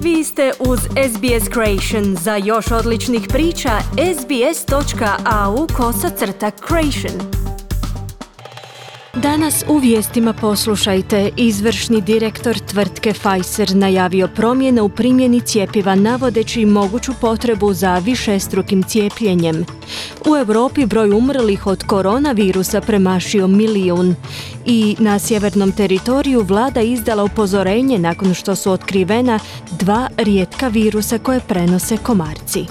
Vi ste uz SBS Creation. Za još odličnih priča, sbs.au/creation. Danas u vijestima poslušajte. Izvršni direktor tvrtke Pfizer najavio promjene u primjeni cjepiva navodeći moguću potrebu za višestrukim cijepljenjem. U Europi broj umrlih od koronavirusa premašio 1 milijun. I na sjevernom teritoriju vlada izdala upozorenje nakon što su otkrivena 2 rijetka virusa koje prenose komarci.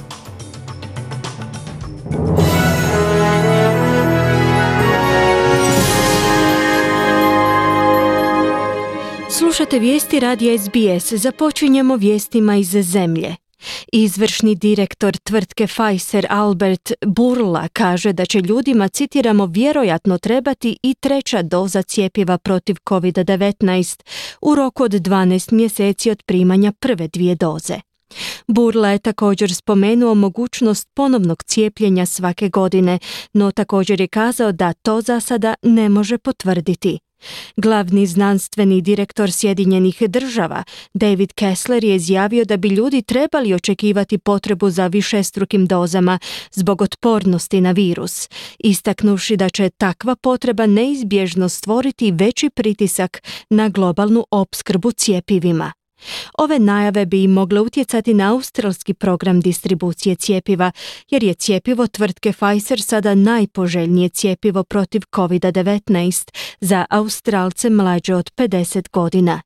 Slušate vijesti radija SBS. Započinjemo vijestima iz zemlje. Izvršni direktor tvrtke Pfizer Albert Bourla kaže da će ljudima, citiramo, vjerojatno trebati i 3. doza cjepiva protiv COVID-19 u roku od 12 mjeseci od primanja prve 2 doze. Bourla je također spomenuo mogućnost ponovnog cijepljenja svake godine, no također je kazao da to za sada ne može potvrditi. Glavni znanstveni direktor Sjedinjenih država, David Kessler, je izjavio da bi ljudi trebali očekivati potrebu za višestrukim dozama zbog otpornosti na virus, istaknuši da će takva potreba neizbježno stvoriti veći pritisak na globalnu opskrbu cjepivima. Ove najave bi im mogle utjecati na australski program distribucije cjepiva, jer je cjepivo tvrtke Pfizer sada najpoželjnije cjepivo protiv COVID-19 za Australce mlađe od 50 godina.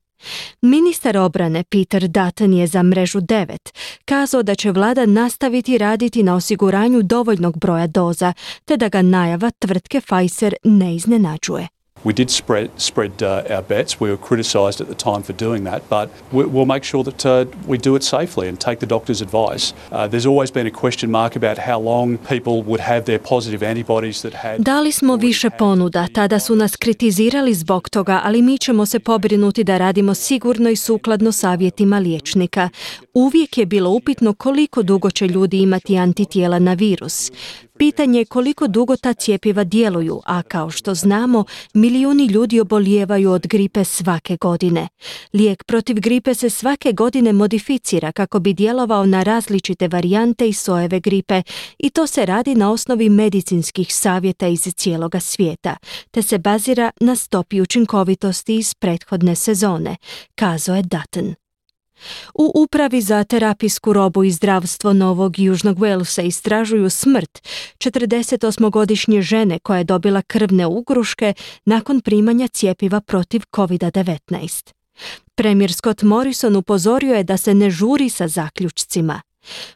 Ministar obrane Peter Dutton je za Mrežu 9 kazao da će vlada nastaviti raditi na osiguranju dovoljnog broja doza, te da ga najava tvrtke Pfizer ne iznenađuje. We did spread our bets. We were criticised at the time for doing that, but we'll make sure that we do it safely and take the doctor's advice. There's always been a question mark about how long people would have their positive antibodies that had... Dali smo više ponuda, tada su nas kritizirali zbog toga, ali mi ćemo se pobrinuti da radimo sigurno i sukladno savjetima liječnika. Uvijek je bilo upitno koliko dugo će ljudi imati antitijela na virus. Pitanje je koliko dugo ta cjepiva djeluju, a kao što znamo, milijuni ljudi obolijevaju od gripe svake godine. Lijek protiv gripe se svake godine modificira kako bi djelovao na različite varijante i sojeve gripe, i to se radi na osnovi medicinskih savjeta iz cijeloga svijeta, te se bazira na stopi učinkovitosti iz prethodne sezone, kazao je Dutton. U Upravi za terapijsku robu i zdravstvo Novog Južnog Walesa istražuju smrt 48-godišnje žene koja je dobila krvne ugruške nakon primanja cjepiva protiv COVID-19. Premijer Scott Morrison upozorio je da se ne žuri sa zaključcima.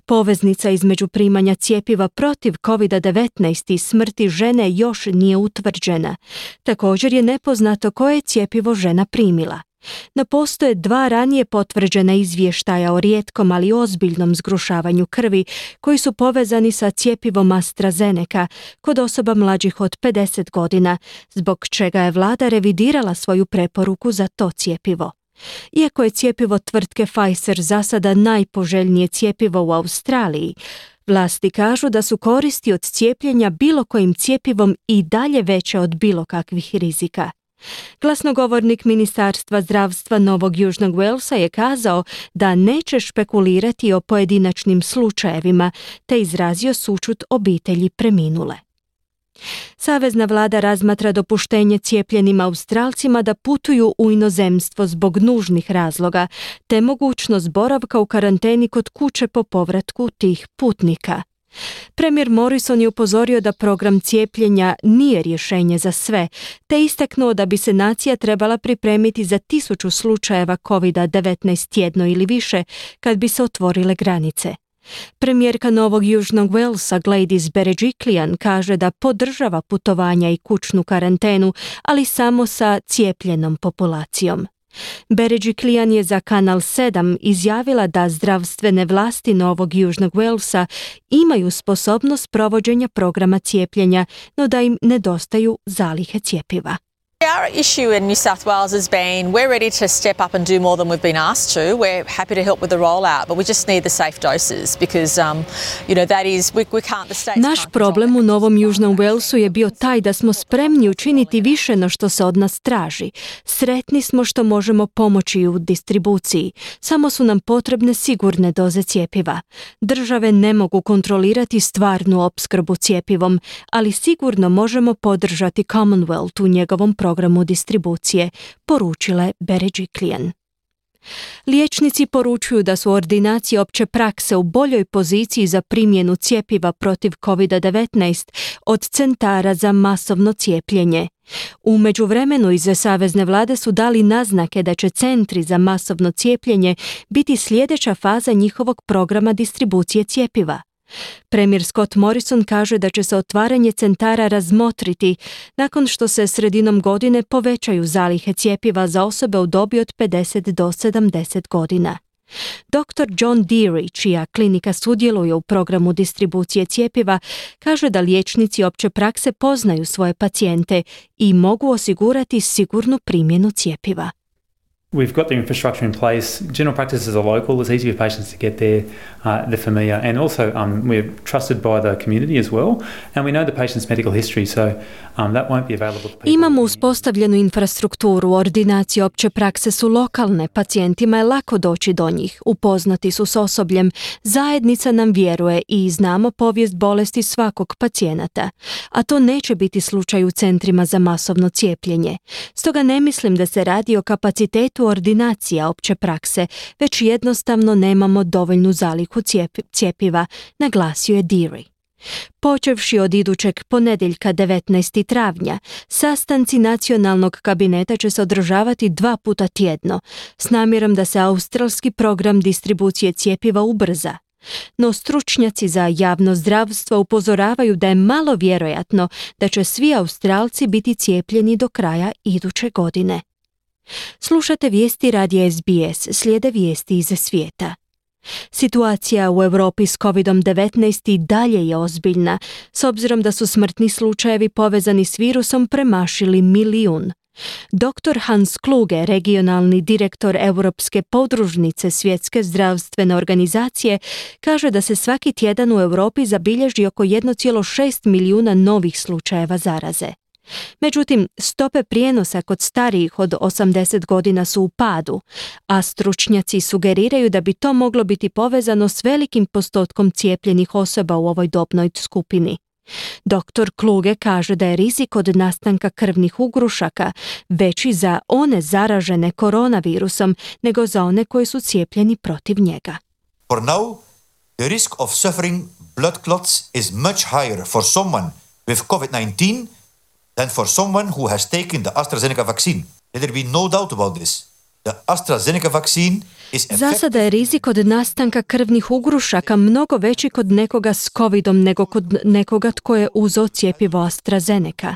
Poveznica između primanja cjepiva protiv COVID-19 i smrti žene još nije utvrđena. Također je nepoznato koje je cjepivo žena primila. No postoje 2 ranije potvrđena izvještaja o rijetkom, ali ozbiljnom zgrušavanju krvi koji su povezani sa cjepivom AstraZeneca kod osoba mlađih od 50 godina, zbog čega je vlada revidirala svoju preporuku za to cjepivo. Iako je cjepivo tvrtke Pfizer za sada najpoželjnije cjepivo u Australiji, vlasti kažu da su koristi od cijepljenja bilo kojim cjepivom i dalje veće od bilo kakvih rizika. Glasnogovornik Ministarstva zdravstva Novog Južnog Walesa je kazao da neće špekulirati o pojedinačnim slučajevima, te izrazio sućut obitelji preminule. Savezna vlada razmatra dopuštenje cijepljenim Australcima da putuju u inozemstvo zbog nužnih razloga, te mogućnost boravka u karanteni kod kuće po povratku tih putnika. Premijer Morrison je upozorio da program cijepljenja nije rješenje za sve, te istaknuo da bi se nacija trebala pripremiti za 1000 slučajeva COVID-19 tjedno ili više kad bi se otvorile granice. Premijerka Novog Južnog Walesa Gladys Berejiklian kaže da podržava putovanja i kućnu karantenu, ali samo sa cijepljenom populacijom. Berejiklian je za Kanal 7 izjavila da zdravstvene vlasti Novog Južnog Walesa imaju sposobnost provođenja programa cijepljenja, no da im nedostaju zalihe cjepiva. We our issue in New South Wales has been we're ready to step up and do more than we've been asked to. We're happy to help with the rollout, but we just need the safe doses because, that is, we can't, the states Naš problem u Novom Južnom Walesu je bio taj da smo spremni učiniti više no što se od nas traži. Sretni smo što možemo pomoći u distribuciji. Samo su nam potrebne sigurne doze cjepiva. Države ne mogu kontrolirati stvarnu opskrbu cjepivom, ali sigurno možemo podržati Commonwealth u njegovom programu distribucije, poručila je Berejiklian. Liječnici poručuju da su ordinacije opće prakse u boljoj poziciji za primjenu cjepiva protiv COVID-19 od centara za masovno cijepljenje. U međuvremenu iz savezne vlade su dali naznake da će centri za masovno cijepljenje biti sljedeća faza njihovog programa distribucije cjepiva. Premijer Scott Morrison kaže da će se otvaranje centara razmotriti nakon što se sredinom godine povećaju zalihe cjepiva za osobe u dobi od 50 do 70 godina. Dr. John Deary, čija klinika sudjeluje u programu distribucije cjepiva, kaže da liječnici opće prakse poznaju svoje pacijente i mogu osigurati sigurnu primjenu cjepiva. We've got the infrastructure in place. General practices are local. It's easy for patients to get there. They're familiar. And also we're trusted by the community as well. And we know the patient's medical history, so that won't be available to people. Imamo uspostavljenu infrastrukturu. Ordinacije opće prakse su lokalne. Pacijentima je lako doći do njih. Upoznati su s osobljem. Zajednica nam vjeruje i znamo povijest bolesti svakog pacijenata. A to neće biti slučaj u centrima za masovno cijepljenje. Stoga ne mislim da se radi o kapacitetu ordinacija opće prakse, već jednostavno nemamo dovoljnu zalihu cjepiva, naglasio je Deary. Počevši od idućeg ponedjeljka 19. travnja, sastanci nacionalnog kabineta će se održavati 2 puta tjedno, s namjerom da se australski program distribucije cjepiva ubrza. No stručnjaci za javno zdravstvo upozoravaju da je malo vjerojatno da će svi Australci biti cijepljeni do kraja iduće godine. Slušate vijesti radija SBS, slijede vijesti iz svijeta. Situacija u Europi s COVID-19 i dalje je ozbiljna, s obzirom da su smrtni slučajevi povezani s virusom premašili 1 milijun. Dr. Hans Kluge, regionalni direktor Europske podružnice Svjetske zdravstvene organizacije, kaže da se svaki tjedan u Europi zabilježi oko 1,6 milijuna novih slučajeva zaraze. Međutim, stope prijenosa kod starijih od 80 godina su u padu, a stručnjaci sugeriraju da bi to moglo biti povezano s velikim postotkom cijepljenih osoba u ovoj dobnoj skupini. Dr. Kluge kaže da je rizik od nastanka krvnih ugrušaka veći za one zaražene koronavirusom nego za one koji su cijepljeni protiv njega. For now, the risk of suffering blood clots is much higher for someone with COVID-19 than for someone who has taken the AstraZeneca vaccine. Let there be no doubt about this. The AstraZeneca vaccine is Za sada je rizik od nastanka krvnih ugrušaka mnogo veći kod nekoga s covidom nego kod nekoga tko je uzeo cjepivo AstraZeneca.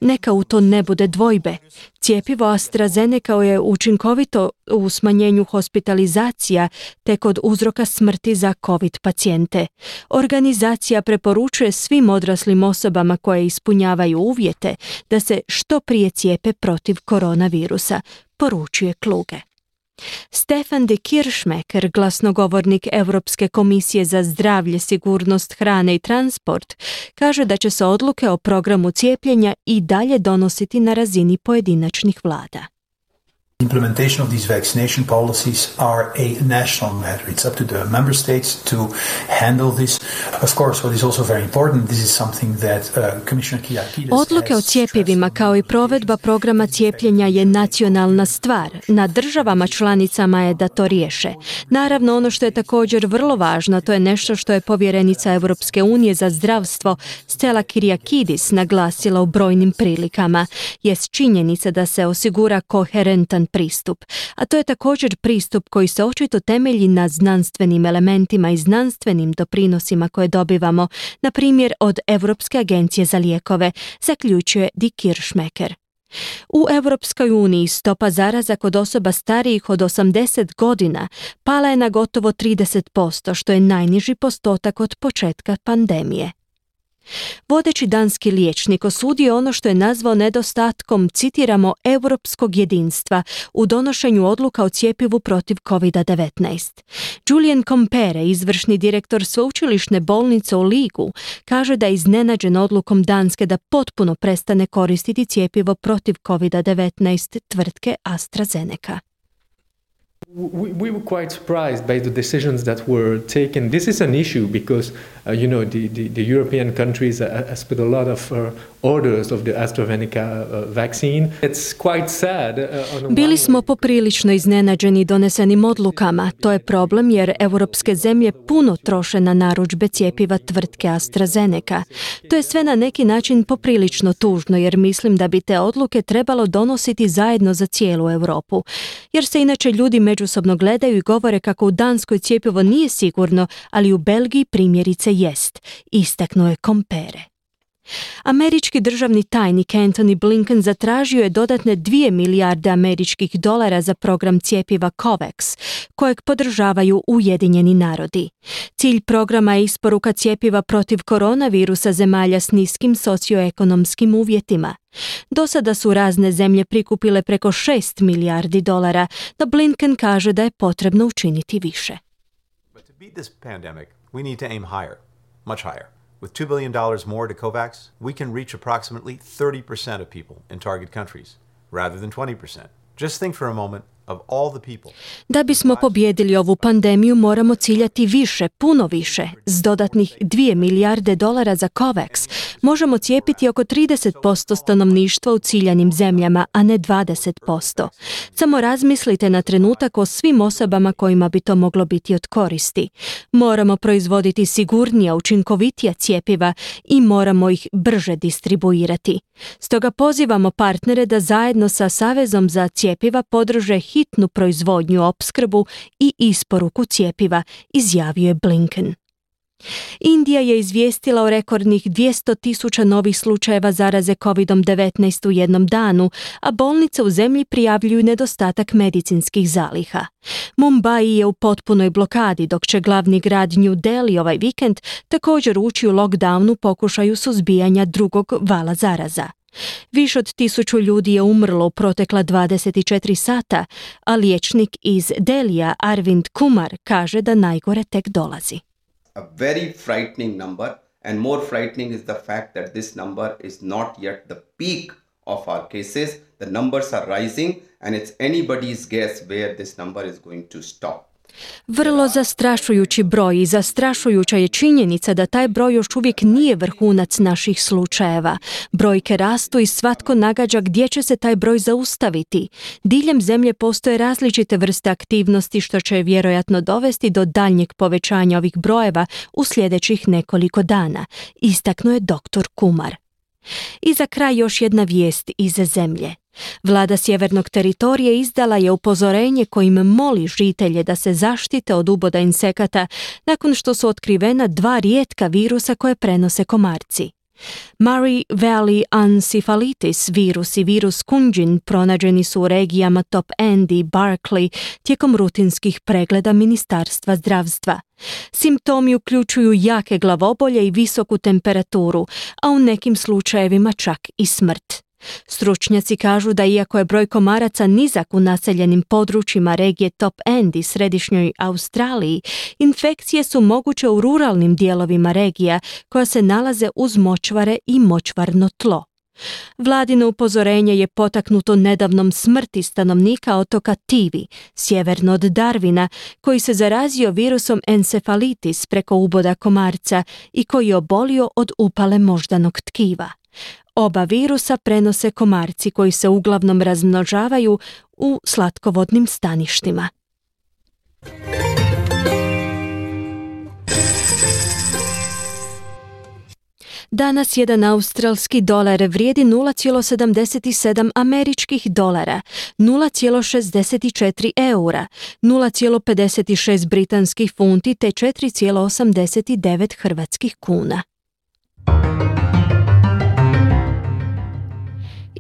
Neka u to ne bude dvojbe. Cjepivo AstraZeneca je učinkovito u smanjenju hospitalizacija te kod uzroka smrti za COVID pacijente. Organizacija preporučuje svim odraslim osobama koje ispunjavaju uvjete da se što prije cijepe protiv koronavirusa, poručuje Kluge. Stefan de Kirchmecker, glasnogovornik Europske komisije za zdravlje, sigurnost hrane i transport, kaže da će se odluke o programu cijepljenja i dalje donositi na razini pojedinačnih vlada. Implementation of these vaccination policies are a national matter. It's up to the member states to handle this. Of course, what is also very important, this is something that Commissioner Kyriakides Odluke o cjepivima kao i provedba programa cijepljenja je nacionalna stvar. Na državama članicama je da to riješe. Naravno, ono što je također vrlo važno, to je nešto što je povjerenica Europske unije za zdravstvo Stella Kyriakides naglasila u brojnim prilikama, jest činjenica da se osigura koherentan pristup, a to je također pristup koji se očito temelji na znanstvenim elementima i znanstvenim doprinosima koje dobivamo, na primjer od Europske agencije za lijekove, zaključuje de Kirchmecker. U Europskoj uniji stopa zaraza kod osoba starijih od 80 godina pala je na gotovo 30%, što je najniži postotak od početka pandemije. Vodeći danski liječnik osudio ono što je nazvao nedostatkom, citiramo, europskog jedinstva u donošenju odluka o cjepivu protiv COVID-19. Julien Compere, izvršni direktor sveučilišne bolnice u Ligu, kaže da je iznenađen odlukom Danske da potpuno prestane koristiti cjepivo protiv COVID-19 tvrtke AstraZeneca. We were quite surprised by the decisions that were taken. This is an issue because, the European countries has put a lot of orders of the AstraZeneca vaccine. It's quite sad. Bili smo poprilično iznenađeni donesenim odlukama. To je problem jer europske zemlje puno troše na narudžbe cjepiva tvrtke AstraZeneca. To je sve na neki način poprilično tužno jer mislim da bi te odluke trebalo donositi zajedno za cijelu Europu. Jer se inače ljudi međusobno gledaju i govore kako u Danskoj cjepivo nije sigurno, ali u Belgiji primjerice jest, istaknuo je Compere. Američki državni tajnik Antony Blinken zatražio je dodatne 2 milijarde američkih dolara za program cjepiva COVAX, kojeg podržavaju Ujedinjeni narodi. Cilj programa je isporuka cjepiva protiv koronavirusa zemalja s niskim socioekonomskim uvjetima. Do sada su razne zemlje prikupile preko 6 milijardi dolara, no Blinken kaže da je potrebno učiniti više. But to beat this pandemic, we need to aim higher, much higher. With $2 billion more to COVAX, we can reach approximately 30% of people in target countries, rather than 20%. Just think for a moment of all the people. Da bismo pobijedili ovu pandemiju, moramo ciljati više, puno više. S dodatnih 2 milijarde dolara za COVAX možemo cijepiti oko 30% stanovništva u ciljanim zemljama, a ne 20%. Samo razmislite na trenutak o svim osobama kojima bi to moglo biti od koristi. Moramo proizvoditi sigurnija, učinkovitija cjepiva i moramo ih brže distribuirati. Stoga pozivamo partnere da zajedno sa Savezom za cjepiva podrže hitnu proizvodnju, opskrbu i isporuku cjepiva, izjavio je Blinken. Indija je izvijestila o rekordnih 200.000 novih slučajeva zaraze COVID-19 u jednom danu, a bolnice u zemlji prijavljuju nedostatak medicinskih zaliha. Mumbai je u potpunoj blokadi, dok će glavni grad New Delhi ovaj vikend također ući u lockdown u pokušaju suzbijanja drugog vala zaraza. Više od 1000 ljudi je umrlo u protekla 24 sata, a liječnik iz Delija Arvind Kumar kaže da najgore tek dolazi. A very frightening number, and more frightening is the fact that this number is not yet the peak of our cases. The numbers are rising, and it's anybody's guess where this number is going to stop. Vrlo zastrašujući broj i zastrašujuća je činjenica da taj broj još uvijek nije vrhunac naših slučajeva. Brojke rastu i svatko nagađa gdje će se taj broj zaustaviti. Diljem zemlje postoje različite vrste aktivnosti što će vjerojatno dovesti do daljnjeg povećanja ovih brojeva u sljedećih nekoliko dana, istaknuo je dr. Kumar. I za kraj još jedna vijest iz zemlje. Vlada Sjevernog teritorija izdala je upozorenje kojim moli žitelje da se zaštite od uboda insekata nakon što su otkrivena 2 rijetka virusa koje prenose komarci. Murray Valley Encephalitis virus i virus Kunjin pronađeni su u regijama Top End i Berkeley tijekom rutinskih pregleda Ministarstva zdravstva. Simptomi uključuju jake glavobolje i visoku temperaturu, a u nekim slučajevima čak i smrt. Stručnjaci kažu da iako je broj komaraca nizak u naseljenim područjima regije Top End i središnjoj Australiji, infekcije su moguće u ruralnim dijelovima regija koja se nalaze uz močvare i močvarno tlo. Vladino upozorenje je potaknuto nedavnom smrti stanovnika otoka Tivi, sjeverno od Darwina, koji se zarazio virusom encefalitis preko uboda komarca i koji je obolio od upale moždanog tkiva. Oba virusa prenose komarci koji se uglavnom razmnožavaju u slatkovodnim staništima. Danas jedan australski dolar vrijedi 0,77 američkih dolara, 0,64 eura, 0,56 britanskih funti te 4,89 hrvatskih kuna.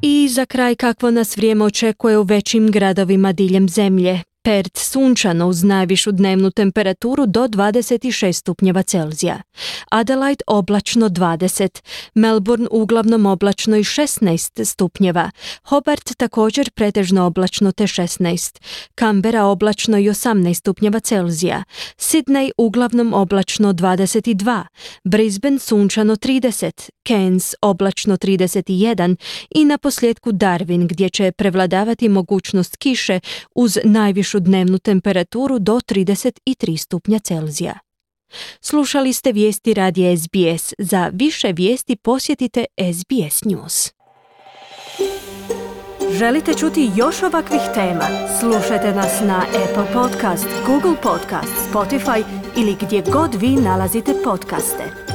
I za kraj kakvo nas vrijeme očekuje u većim gradovima diljem zemlje. Perth sunčano uz najvišu dnevnu temperaturu do 26 stupnjeva Celzija. Adelaide oblačno 20, Melbourne uglavnom oblačno i 16 stupnjeva, Hobart također pretežno oblačno te 16, Canberra oblačno i 18 stupnjeva Celzija, Sydney uglavnom oblačno 22, Brisbane sunčano 30, Cairns oblačno 31 i na posljedku Darwin gdje će prevladavati mogućnost kiše uz najvišu dnevnu temperaturu do 33 stupnja Celzija. Slušali ste vijesti radija SBS. Za više vijesti posjetite SBS News. Želite čuti još ovakvih tema? Slušajte nas na Apple Podcast, Google Podcast, Spotify ili gdje god vi nalazite podcaste.